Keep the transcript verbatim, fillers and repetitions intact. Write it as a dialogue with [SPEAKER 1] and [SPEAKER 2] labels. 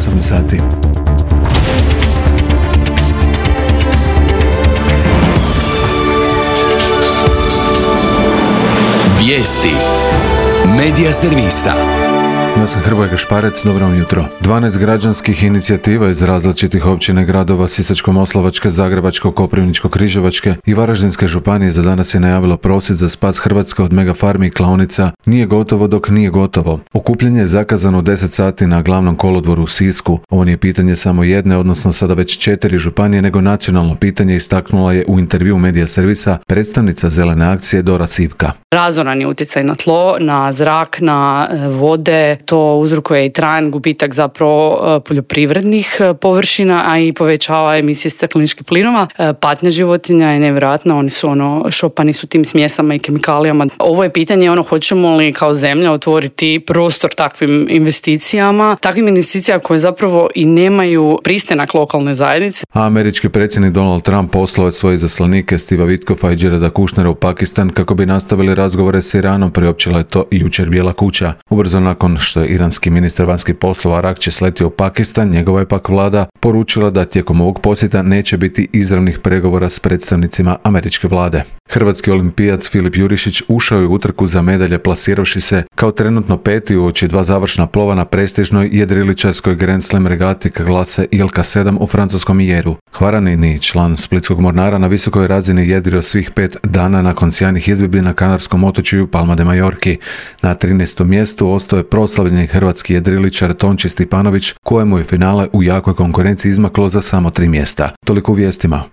[SPEAKER 1] osam sati.
[SPEAKER 2] Vijesti Medija servisa.
[SPEAKER 1] Ja sam Hrvoje Gašparec, dobro vam jutro. dvanaest građanskih inicijativa iz različitih općina i gradova Sisačko-moslavačke, Zagrebačko-Koprivničko-Križevačke i Varaždinske županije za danas je najavilo prosvjed za spas Hrvatske od megafarmi i klaonica Nije gotovo dok nije gotovo. Okupljanje je zakazano u deset sati na glavnom kolodvoru u Sisku. Ovo nije pitanje samo jedne, odnosno sada već četiri županije, nego nacionalno pitanje, istaknula je u intervju Medija servisa predstavnica Zelene akcije Dora Sivka.
[SPEAKER 3] Razoran je utjecaj na tlo, na zrak, na vode. To uzrokuje i trajan gubitak zapravo poljoprivrednih površina, a i povećava emisije stakleničkih plinova. Patnja životinja je nevjerojatna, oni su ono šopani su tim smjesama i kemikalijama. Ovo je pitanje ono hoćemo li kao zemlja otvoriti prostor takvim investicijama, takvim investicijama koje zapravo i nemaju pristanak lokalne zajednice.
[SPEAKER 1] A američki predsjednik Donald Trump poslao je svoje izaslanike Steva Witkoffa i Jareda Kushnera u Pakistan kako bi nastavili razgovore s Iranom, priopćila je to jučer Bijela kuća. Ubrzo nakon što je iranski ministar vanjskih poslova Arakči sletio u Pakistan, njegova je pak vlada poručila da tijekom ovog posjeta neće biti izravnih pregovora s predstavnicima američke vlade. Hrvatski olimpijac Filip Jurišić ušao je u utrku za medalje plasiravši se kao trenutno peti uoči dva završna plova na prestižnoj jedriličarskoj Grand Slam regati klase I L K sedam u francuskom Jeru. Hvaranini, član splitskog Mornara, na visokoj razini jedrio svih pet dana nakon sjajnih izvedbi na kanarskom otočju Palma de Majorki. Na trinaestom mjestu ostao je proslavljeni hrvatski jedriličar Tonči Stipanović, kojemu je finale u jakoj konkurenciji izmaklo za samo tri mjesta. Toliko u vijestima.